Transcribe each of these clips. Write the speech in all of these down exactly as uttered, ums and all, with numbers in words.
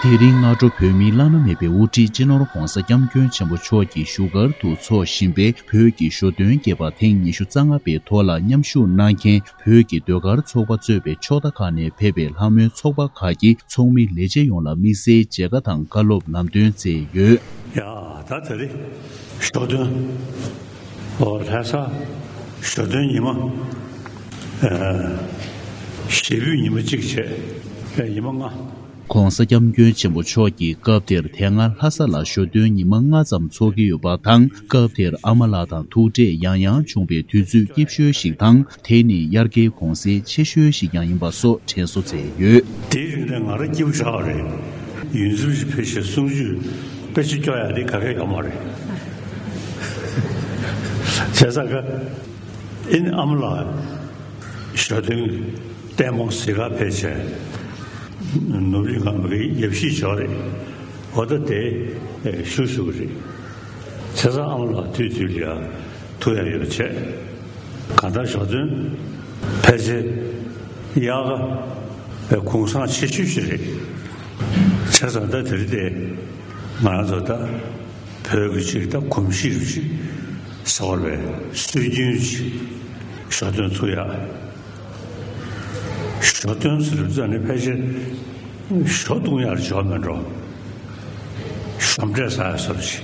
དེ་རིང་སྔ་དྲོ་བོད་མིའི་བླ་ན་མེད་པའི་དབུ་ཁྲིད་སྤྱི་ནོར་༧གོང་ས་༧སྐྱབས་མགོན་ཆེན་པོ་མཆོག་གིས་བཞུགས་སྒར་དུ་འཚོགས་བཞིན་པའི་བོད་ཀྱི་ཞོ་སྟོན་རྒྱས་པ་ཐེངས་ཉི་ཤུ་རྩ་ལྔ་པའི་ཐོག་ལ་མཉམ་ཞུགས་གནང་མཁན་བོད་ཀྱི་ཟློས་གར་ཚོགས་པ་གཙོས་པའི་ཕྱོགས་མཐའ་ཁག་ནས་ཕེབས་པའི་ལྷ་མོའི་ཚོགས་པ་ཁག་གི་ཚོགས་མི་ལས་བྱེད་ཡོངས་ལ་དམིགས་བསལ་མཇལ་ཁ་དང་བཀའ་སློབ་ལམ་སྟོན་སྩལ་ཡོད། ཡ། ད་དེ་རིང་ཞོ་སྟོན། ཨོ། ལྷ་ས་ཞོ་སྟོན་ཉི་མ། ཨ། བཞི་པའི་ཉི་མ་གཅིག་བྱས། ཨ། ཉི་མ་ལྔ། ༸གོང་ས་༸སྐྱབས་མགོན་ཆེན་པོ་མཆོག་གིས་སྐབས་དེར་དེ་སྔ་ལྷ་ས་ལ་ཞོ་སྟོན་ཉི་མ་ལྔ་ཙམ་འཚོགས་ཀྱི་ཡོད་པ་དང་། སྐབས་དེར་ཨ་མ་ལགས་དང་ཐུག་འཕྲད་ཡང་ཡང་བྱུང་བའི་དུས་ཚོད་སྐྱིད་ཤོས་ཤིག་དང་། དེ་ནི་དབྱར་ཁའི་གུང་གསེང་ཆེ་ཤོས་ཤིག་ཀྱང་ཡིན་པ་སོགས་དྲན་གསོ་མཛད་ཡོད། དེའི་རིང་ནས་ང་རང་སྐྱིད་པོ་ཞེ་དྲག་རེད། ཡུན་ཙམ་ཞིག་ཕལ་ཆེར་གསུང་ཆོས་དཔེ་ཆ་སྐྱོར་ཡག་དེ་ག་གེ་ཡོད་མ་རེད། བྱས་ཙང་ཀ་ཨིན་ཨ་མ་ལགས་ཞོ་སྟོན་ལྟད་མོ་གཟིགས་ག་ཕེབས་བྱས། ནོར་བུ་གླིང་ཁ་མ་གིའི་ཡབ་གཞིས་ཅིག་ཡོད་རེད། འོ། ད་དེ་ཞུ་ཞུ་གི་རེད། བྱས་ཙང་ཨ་མ་ལགས་དུས་དུས་ལ་ཡ་ཐུག་ཡག་ཡོད་པ་བྱས། གང་ལྟར་ཞོ་སྟོན་ཕལ་ཆེར་དབྱར་ཁ་གུང་གསེང་ཆེ་ཤོས་ཤིག་རེད། བྱས་ཙང་ད་དེ་རིང་དེ་ང་རང་ཚོ་ད་བོད་ཀྱི་ཅིག་ད་གོམས་གཤིས་རུ་ཅིག་ཟེར་བ་རེད། སྲོལ་རྒྱུན་ཅིག་ཞོ་སྟོན་ཚུགས་ཡག། ཞོ་སྟོན་ཟེར་དུས་ཙམ་ནས་ཕལ་ཆེར་ཞོ་བཏུང་ཡག་ཞོ་མིན་འགྲོ། ཞོ་འབྲས་ཟ་ཡག་བཟོ་འདྲ་ཅིག།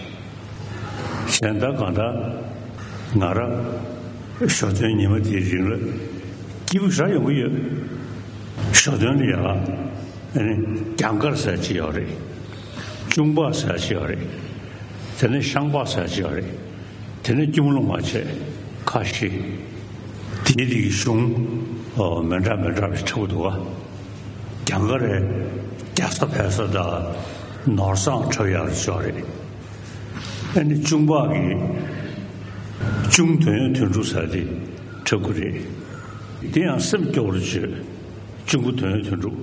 གཞན་ད་གང་ལྟར་ང་རང་ཞོ་སྟོན་ཉི་མ་དེའི་རིང་ལ་སྐྱིད་པོ་ཞེ་དྲག་ཡོང་གི་ཡོད། ཞོ་སྟོན་ལ་ཡ་ཨ་ནི་གྱང་དཀར་ཟེར་ཡག་ཅིག་ཡོད་རེད། གཅུང་པག་ཟེར་ཡག་ཅིག་ཡོད་རེད། དེ་ནས་ཤང་པག་ཟེར་ཡག་ཅིག་ཡོད་རེད། དེ་ནས་སྐྱོར་མོ་ལུང་བ་བྱས། ཁ་ཤས། དེའི་རིགས་གཞུང་། ཨོ། མི་འདྲ་མི་འདྲ་བ་འཁྲབ་འདུག་ག། གྱང་དཀར་རེད། རྒྱག་ས་འཕེལ་ས་དང་ནོར་བཟང་འཁྲབ་ཡག་ཅིག་ཡོད་རེད། ཨ་ནི་གཅུང་པག་གིས་གཅུང་དོན་ཡོད་དོན་གྲུབ་ཟེར་དེ་འཁྲབ་ཀྱི་རེད། དེ་ཡང་སེམས་སྐྱོ་བོ་བྱོས། གཅུང་པོ་དོན་ཡོད་དོན་གྲུབ།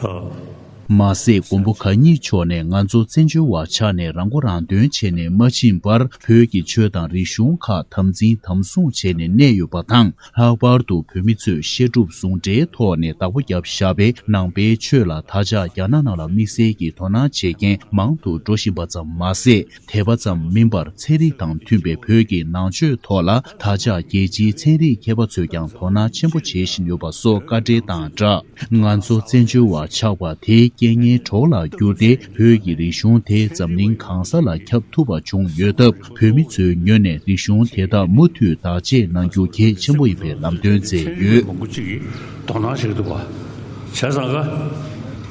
ཨོ། མ་ཟད་མགོན་པོ་གང་ཉིད་མཆོག་ནས་ང་ཚོ་བཙན་བྱོལ་བ་ཆགས་ནས་རང་མགོ་རང་ཐོན་བྱས་ནས་མ་ཕྱིན་པར། བོད་ཀྱི་ཆོས་དང་རིག་གཞུང་ཁག་དམ་འཛིན་དམ་སྲུང་བྱས་ནས་གནས་ཡོད་པ་དང་། ལྷག་པར་དུ་བོད་མི་ཚོས་བཤད་སྒྲུབ་ཟུང་འབྲེལ་ཐོག་ནས་བདག་པོ་བརྒྱབ་བཞག་པའི་ནང་པའི་ཆོས་ལ་དར་ཆ་རྒྱ་ནག་ནང་ལ་དམིགས་བསལ་གྱིས་དོ་སྣང་བྱེད་མཁན་མང་དུ་འགྲོ་བཞིན་པ་ཙམ་མ་ཟད། དད་པ་ཙམ་མིན་པར་ཚན་རིག་དང་མཐུན་པའི་བོད་ཀྱི་ནང་ཆོས་ཐོག་ལ་དར་ཆ་རྒྱལ་སྤྱིའི་ཚན་རིག་མཁས་པ་ཚོས་ཀྱང་དོ་སྣང་ཆེན་པོ་བྱེད་བཞིན་ཡོད་པ་སོགས་བཀའ་འགྲེལ་དང་སྦྲགས། ང་ཚོ་བཙན་བྱོལ་བ་ཆགས་པ་དེ་རྐྱེན་ངན་གྲོགས་ལ་གྱུར་ཏེ། བོད་ཀྱི་རིག་གཞུང་དེ་འཛམ་གླིང་གང་ས་ལ་ཁྱབ་ཐུབ་པ་བྱུང་ཡོད་སྟབས། བོད་མི་ཚོའི་ངོས་ནས་རིག་གཞུང་དེ་དག་མུ་མཐུད་བདག་གཅེས་གནང་རྒྱུ་གལ་ཆེན་པོ་ཡིན་པའི་ལམ་སྟོན་མཛད་ཡོད། མང་པོ་ཅིག་གིས་དོ་སྣང་བྱེད་ཀྱི་འདུག་ག། བྱས་ཙང་ཀ་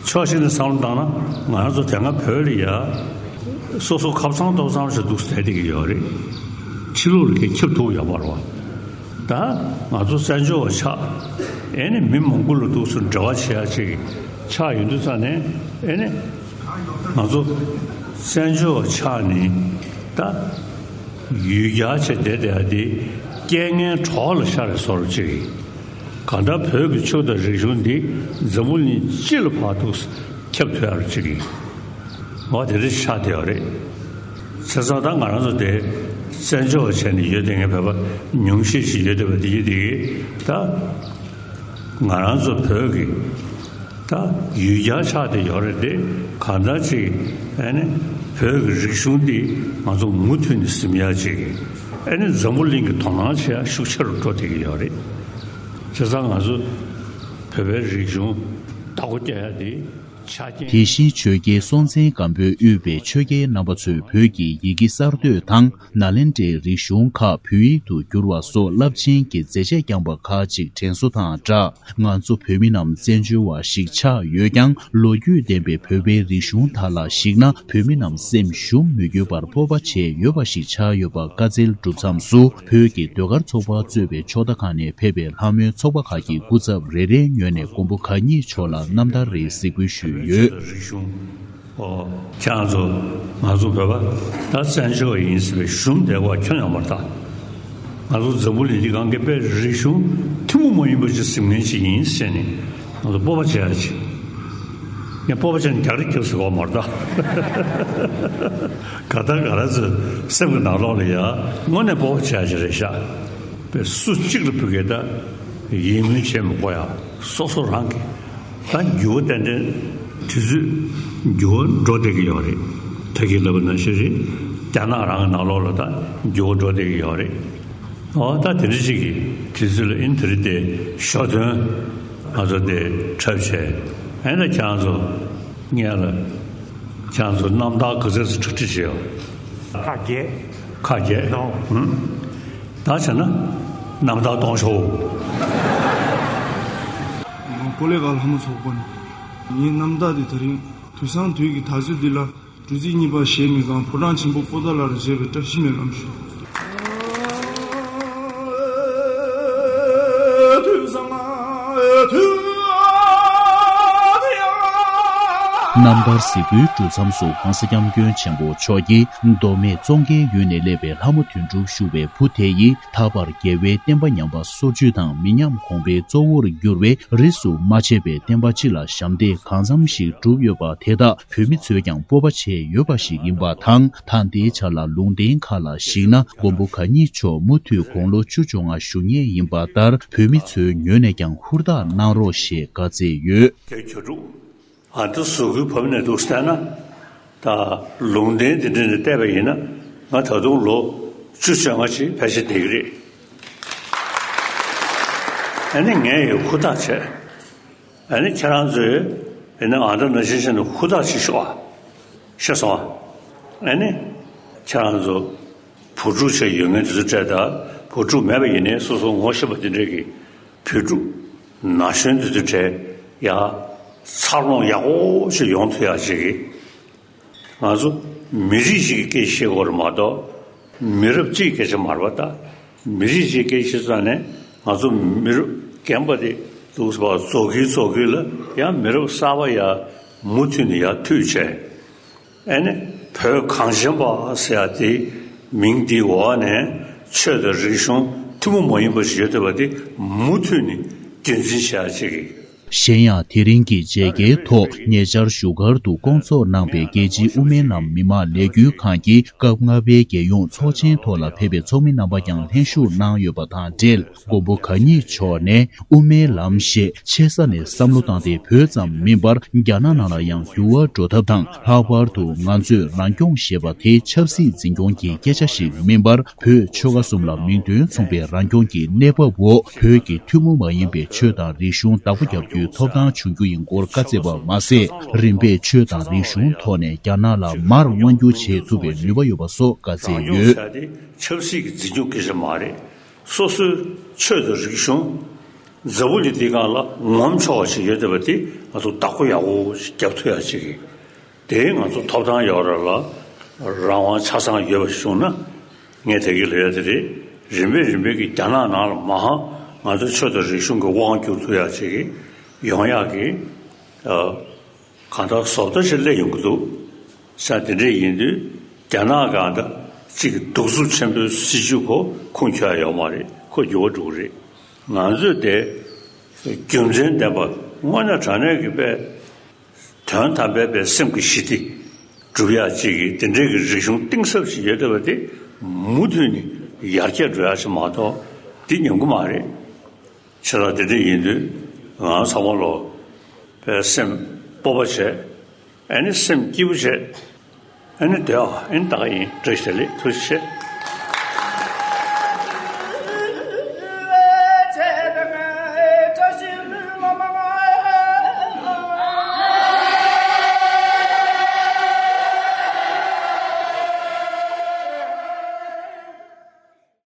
ཕྱོགས་གཅིག་ནས་བསམ་བློ་བཏང་ན། ང་རང་ཚོ་དེ་སྔ་བོད་ལ་ཡ་སོ་སོ་ཁབ་ཚང་ཏོག་ཙམ་ཞིག་འདུག་བསྡད་བསྡད་ཀྱི་ཡོད་རེད། ཕྱི་ལོགས་ལ་གས་ཁྱབ་ཐུབ་ཡོད་མ་རེད་བ། ད་ང་ཚོ་བཙན་བྱོལ་བ་ཆགས། ཨེ་ནི་མི་མང་པོ་ལ་འདུག་སེ་འབྲེལ་བ་བྱེད་ཡ་ཅིག་ཆགས་ཡོང་དུས་ཙ་ནས། ཨེ་ནི་ང་ཚོ་བཙན་བྱོལ་བ་ཆགས་ནས་ད་ཡུལ་གྱར་བྱས་བསྡད་བསྡད་ཡ་དེ་རྐྱེན་ངན་གྲོགས་ལ་ཤར་བའི་བཟོ་འདྲ་ཅིག། གང་ལྟར་བོད་ཀྱི་ཆོས་དང་རིག་གཞུང་འདི་འཛམ་བུ་གླིང་སྤྱི་ལ་ཕར་འདུག་སེ་ཁྱབ་ཐུབ་ཡ་ཅིག་གི་འོ་དེ་འདྲ་ཆགས་བསྡད་ཡོད་རེད། བྱས་ཙང་ད་ང་རང་ཚོ་དེ་བཙན་བྱོལ་བ་བྱས་ནས་ཡོད་བསྡད་མཁན་བོད་པ་ཉུང་ཤས་ཤིག་ཡོད་བསྡད་པ་དེ་ཡིན་དེ་གིས། ད་ང་རང་ཚོ་བོད་ཀྱི་ད་ཡུལ་གྱར་ཆགས་བསྡད་ཡོད་རེད་དེ། གང་ལྟར་ཅིག་ཨེ་ནི་བོད་ཀྱི་རིག་གཞུང་འདི་ང་ཚོ་མུ་མཐུད་ནས་ཟིན་ཡ་ཅིག་ཨེ་ནི་འཛམ་བུ་གླིང་གི་དོ་སྣང་བྱེད་ཡ་ཤུགས་ཆེ་རུ་འགྲོ་བསྡད་ཀྱི་ཡོད་རེད། བྱས་ཙང་ང་ཚོ་བོད་པའི་རིག་གཞུང་བདག་པོ་རྒྱག་ཡ་དེ་ཆ་རྐྱེན། དེ་བཞིན་ཆོས་རྒྱལ་སྲོང་བཙན་སྒམ་པོས་དབུས་པའི་ཆོས་རྒྱལ་རྣམ་པ་ཚོས་བོད་ཀྱི་ཡི་གེ་གསར་གཏོད་དང་། ནཱ་ལེནྡྲའི་རིག་གཞུང་ཁག་བོད་ཡིག་ཏུ་བསྒྱུར་བ་སོགས་རླབས་ཆེན་གྱི་མཛད་རྗེས་བསྐྱངས་པ་ཁག་ཅིག་དྲན་གསོ་དང་སྦྲགས། ང་ཚོ་བོད་མི་རྣམས་བཙན་བྱོལ་བ་ཞིག་ཆགས་ཡོད་ཀྱང་། ལོ་རྒྱུས་ལྡན་པའི་བོད་པའི་རིག་གཞུང་དག་ལ་གཞིགས་ན། བོད་མི་རྣམས་སེམས་ཞུམ་མི་དགོས་པར་སྤོབས་པ་བྱེད་འོས་པ་ཞིག་ཆགས་ཡོད་པ་བཀའ་སྩལ་གྲུབ་མཚམས་སུ། བོད་ཀྱི་ཟློས་གར་ཚོགས་པ་གཙོས་པའི་ཕྱོགས་མཐའ་ཁག་ནས་ཕེབས་པའི་ལྷ་མོའི་ཚོགས་པ་ཁག་གི་སྐུ་ཚབ་རེ་རེའི་ངོས་ནས་མགོན་པོ་གང་ཉིད་མཆོག་ལ་རྣམ་ཐར་རེ་གཟིགས་འབུལ་ཞུས་ཡོད། རིག་གཞུང་། ཨོ། ཁྱེད་རང་ཚོ་ང་ཚོ་བོད་པ་ད་བཙན་བྱོལ་བ་ཡིན་ཟེར་བའི་ཞུམ་བསྡད་པ་ཁྱོན་ཡོད་མ་རེད་ད། ང་ཚོ་འཛམ་བུ་གླིང་འདི་སྒང་གི་དཔེ་རིག་གཞུང་ཐུན་མོང་མ་ཡིན་པ་ཅིག་ཟིན་མཁན་ཅིག་ཡིན་ཟེར་ནས་ང་ཚོ་སྤོབས་པ་བྱེད་ཡ་ཅིག། ངས་སྤོབས་པ་བྱས་ནས་རྒྱག་རེས་རྒྱབ་ཟེར་བ་མ་རེད་ད། ག་ད་ག་རང་ཚོའི་སེམས་ཀྱི་ནང་ལོགས་ལ་ཡ་དངོས་གནས་སྤོབས་པ་བྱེད་ཡ་ཅིག་རེད་ཤག། དཔེ་སུ་གཅིག་ལ་ཕུལ་གི་ད་ཡིད་སྨོན་བྱེད་མི་དགོས་ཡ། སོ་སོ་རང་གི་ད་འགྱུར་བ་ཏན་ཏན་ དུས་ཚོད་འགྱུར་བ་འགྲོ་བསྡད་ཀྱི་ཡོད་རེད། ད་གིན་ལབ་པ་ནང་བཞིན་རེད། རྒྱ་ནག་རང་གི་ནང་ལོགས་ལ་ད་འགྱུར་བ་འགྲོ་བསྡད་ཀྱི་ཡོད་རེད། ཨོ་ད་དེ་འདྲ་ཅིག་གི་དུས་ཚོད་ལ་ཨིན་དེ་རིང་དེ་ཞོ་སྟོན་ང་ཚོ་དེ་འཁྲབ་བྱས། ཨེ་ན་ཁྱེད་རང་ཚོ་ངས་ལ་ཁྱེད་རང་ཚོ་རྣམ་ཐར་ག་ཚོད་ཙམ་གྲ་སྒྲིག་བྱས་ཡོད། ཁག་བརྒྱད། ཁག་བརྒྱད། ནོ། ཧུམ། ད་བྱས་ན་རྣམ་ཐར་གཏོང་ཤོག་ཀོ་ལེ་ག་ལྷ་མོ་ཚོགས་པ་ནས། ངའི་རྣམ་ཐར་དེ་དེ་རིང་དུས་སང་དུས་ཀྱི་ད་ཚོད་འདི་ལ། གྲུ་གཟིངས་གཉིས་པ་གཞལ་མེད་ཁང་ཕོ་བྲང་ཆེན་པོ་པོ་ཏཱ་ལ་རུ་མཇལ་བའི་བཀྲ་ཤིས་སྨོན་ལམ་ཞུ། རྣམ་ཐར་གཟིགས་འབུལ་གྲུབ་མཚམས་སུ་༸གོང་ས་༸སྐྱབས་མགོན་ཆེན་པོ་མཆོག་གིས་མདོ་སྨད་ཙོང་ཁའི་ཡུལ་ནས་སླེབས་པའི་ལྷ་མོ་དོན་གྲུབ་ཞུ་བའི་བུ་དེ་ཡིས་ད་བར་རྒྱལ་བའི་བསྟན་པ་ཉམས་པ་སོར་ཆུད་དང་མི་ཉམས་གོང་འཕེལ་གཙོ་བོར་གྱུར་བའི་རིས་སུ་མ་ཆད་པའི་བསྟན་པ་སྤྱི་ལ་ཞབས་འདེགས་གང་འཚམ་ཞིག་བསྒྲུབས་ཡོད་པ་དེ་དག་བོད་མི་ཚོས་ཀྱང་སྤོབས་པ་བྱས་ཡོད་པ་ཞིག་ཡིན་པ་དང་། ད་ལྟའི་ཆ་ལ་ལུང་བསྟན་ཁག་ལ་གཞིགས་ན་མགོན་པོ་གང་ཉིད་མཆོག་མུ་མཐུད་དགུང་ལོ་བཅུ་བཅོ་ལྔ་བཞུགས་ངེས་ཡིན་པ་ལྟར་བོད་མི་ཚོའི་ངོས་ནས་ཀྱང་ཧུར་ཐག་གནང་རོགས་ཞེས་བཀའ་སྩལ་ཡོད། དེ་གྱོད་སྒྲུབ། ཨ་ད་གཟུགས་སྐུའི་བབས་ནས་འདུག་བལྟས་ན། ད་ལུང་བསྟན་འདི་འདྲ་ནས་བལྟས་པ་ཡིན་ན་ང་ད་དུང་ལོ་བཅུ་བཅོ་ལྔ་ཅིག་ཕལ་ཆེར་བསྡད་ཀྱི་རེད། ཨ་ནི་ངས་ཡང་ཧུར་ཐག་བྱས། ཨ་ནི་ཁྱེད་རང་ཚོས་ཨ་ནི་ཨ་ད་ནང་བཞིན་བྱས་ནས་ཧུར་ཐག་བྱེད་ཤོག་ཨ། ཤེས་སོང་ཨ། ཨ་ནི་ཁྱེད་རང་ཚོ་བུ་ཕྲུག་ཆེ་ཡོད་མཁན་དེ་ཚོ་སྤྲད་དང་བུ་ཕྲུག་མེད་པ་ཡིན་ནའི་སོ་སོ་ངོ་ཤེས་པ་དེ་འདྲས་ཀྱི་བུ་ཕྲུག་ན་གཞོན་དེ་ཚོ་སྤྲད་ཡ་འཚར་ལོངས་ཡག་པོ་ཞིག་ཡོང་ཐུབ་ཡ་ཅིག་གི་ང་ཚོ་མི་རིགས་ཤིག་གི་སྐད་ཆ་བཤད་དགོས་རེད་མ་གཏོགས། མི་རབས་གཅིག་གི་སྐད་ཆ་མ་རེད་པ་ད། མི་རིགས་གཅིག་སྐད་ཆ་ཙང་ནས་ང་ཚོ་མི་རབས་རྒན་པ་དེ་འདུག་སེ་བ་རྫོགས་ཀྱི་རྫོགས་ཀྱི་ལ་ཡང་མི་རབས་གསར་པ་ཡར་མུ་མཐུད་ནས་ཡར་མཐུད་བྱས། ཨ་ནི་བོད་གངས་ཅན་པ་ཟེར་ཡ་དེ་མིང་འདིའི་འོག་ནས་ཆོས་དང་རིག་གཞུང་ཐུན་མོང་མ་ཡིན་པ་ཞིག་ཡོད་བསྡད་པ་དེ་མུ་མཐུད་ནས་རྒྱུན་འཛིན་བྱེད་ཡ་ཅིག་གི་གཞན་ཡང་། དེ་རིང་གི་མཇལ་ཁའི་ཐོག་ཉེ་ཆར་བཞུགས་སྒར་དུ་བསྐོང་ཚོགས་གནང་པའི་རྒྱལ་སྤྱིའི་དབུ་མའི་ལམ་མི་མང་ལས་འགུལ་ཁང་གི་སྐབས་ལྔ་པའི་རྒྱལ་ཡོངས་ཚོགས་ཆེན་ཐོག་ལ་ཕེབས་པའི་ཚོགས་མི་རྣམ་པ་ཀྱང་ལྷན་ཞུགས་གནང་ཡོད་པ་དང་འབྲེལ། མགོན་པོ་གང་ཉིད་མཆོག་ནས་དབུ་མའི་ལམ་ཞེས་ཆེ་ས་ནས་བསམ་བློ་བཏང་སྟེ། བོད་ཙམ་མིན་པར་རྒྱ་ནག་ནང་ལ་ཡང་འགྱུར་བ་འགྲོ་ཐབས་དང་། ལྷག་པར་དུ་ང་ཚོས་རང་སྐྱོང་ཞེས་པ་དེ་ཆབ་སྲིད་འཛིན་སྐྱོང་གི་སྐད་ཆ་ཞིག་མིན་པར། བོད་ཆོལ་ཁ་གསུམ་ལ་མིང་དོན་མཚུངས་པའི་རང་སྐྱོང་གི་གནས་བབ་འོག་བོད་ཀྱི་ཐུན་མོང་མ་ཡིན་པའི་ཆོས་དང་རིག་གཞུང་བདག་པོ་རྒྱག་རྒྱུའི་ཐོབ་ཐང་བྱུང་རྒྱུ་ཡིན་སྐོར་བཀའ་སྩལ་བ་མ་ཟད། རིམ་པས་ཆོས་དང་རིག་གཞུང་ཐོག་ནས་རྒྱ་ནག་ལ་མར་དབང་བསྒྱུར་བྱེད་ཐུབ་པའི་ནུས་པ་ཡོད་པ་སོགས་བཀའ་སྩལ་ཡོད། ཆབ་སྲིད་ཀྱི་འཛིན་སྐྱོང་སྐད་ཆ་མ་རེད། སོ་སོའི་ཆོས་དང་རིག་གཞུང་འཛམ་བུ་གླིང་འདིའི་སྒང་ལ་ངོམ་ཆོག་པ་ཞིག་ཡོད་བསྡད་པ་དེ་ང་ཚོ་བདག་པོ་ཡག་པོ་ཞིག་རྒྱབ་ཐུབ་ཡག་ཅིག་གི། དེ་ང་ཚོ་ཐོབ་ཐང་ཡོད་རེད་ལ། རང་དབང་ཆ་ཚང་ཡོད་པ་བྱུང་ན། ངས་དེ་གི་ལས་དེ་རེད། རིམ་པས་རིམ་པས་ཀྱི་རྒྱ་ནག་ནང་ལ་མ་ཧང་ང་ཚོ་ཆོས་དང་རིག་གཞུང་གི་དབང་བསྒྱུར་ཐུབ་ཡག་ཅིག་གི་ཡོང་ཡག་གི། ཨ། གང་ལྟར་བཟོ་ལྟ་ཞིག་སླེབས་ཡོང་གི་འདུག་ས། དེ་འདྲས་ཡིན་དུས་རྒྱ་ནག་གང་ལྟར་གཅིག་གི་གདུག་རྩུབ་ཆེན་པོའི་སྲིད་བྱུས་ཁོ་ཁུངས་འཁྱོལ་ཡག་ཡོད་མ་རེད། ཁོ་འགྱུར་བ་འགྲོ་གི་རེད། ང་ཚོས་དེ་རྒྱུ་མཚན་ལྡན་པ་དངོས་གནས་དྲང་གནས་ཀྱི་དཔེ། དོན་དམ་པའི་པའི་སེམས་ཀྱི་ཞི་བདེ་སྒྲུབ་ཡག་ཅིག་གི་དེ་འདྲའི་གི་རིག་གཞུང་གཏིང་ཟབ་ཞིག་ཡོད་བསྡད་པ་དེ་མུ་མཐུད་ནས་ཡར་རྒྱས་འགྲོ་ཡག་ཅིག་མ་གཏོགས་འདི་ཉམས་གི་མ་རེད། ཆེ་ལ་དེ་འདྲ་ཡིན་དུས་ང་ཚང་མ་ལོ་པའི་སེམས་སྤོབས་པ་བྱས། ཨ་ནི་སེམས་སྐྱིད་པོ་བྱས། ཨ་ནི་སྡོད་ཨ། ཨ་ནི་ད་ག་ཡིན། བཀྲ་ཤིས་བདེ་ལེགས། ཐུགས་རྗེ་ཆེ།